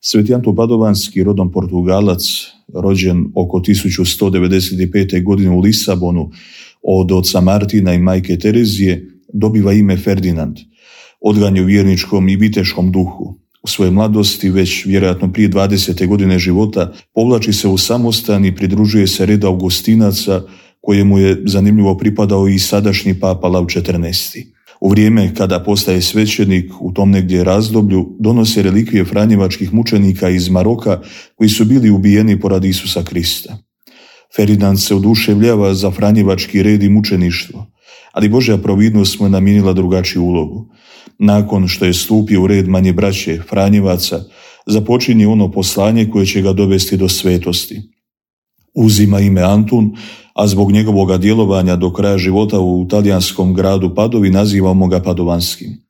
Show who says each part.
Speaker 1: Sveti Antun Padovanski, rodom Portugalac, rođen oko 1195. godine u Lisabonu od oca Martina i majke Terezije, dobiva ime Ferdinand, odgan je u vjerničkom i viteškom duhu. U svojoj mladosti, već vjerojatno prije 20. godine života, povlači se u samostan i pridružuje se redu Augustinaca, kojemu je zanimljivo pripadao i sadašnji papa Lav XIV. U vrijeme kada postaje svećenik, u tom negdje razdoblju, donose relikvije franjevačkih mučenika iz Maroka koji su bili ubijeni poradi Isusa Krista. Ferdinand se oduševljava za franjevački red i mučeništvo, ali Božja providnost mu je namijenila drugačiju ulogu. Nakon što je stupio u red manje braće Franjevaca, započinje ono poslanje koje će ga dovesti do svetosti. Uzima ime Antun, a zbog njegovog djelovanja do kraja života u talijanskom gradu Padovi nazivamo ga Padovanskim.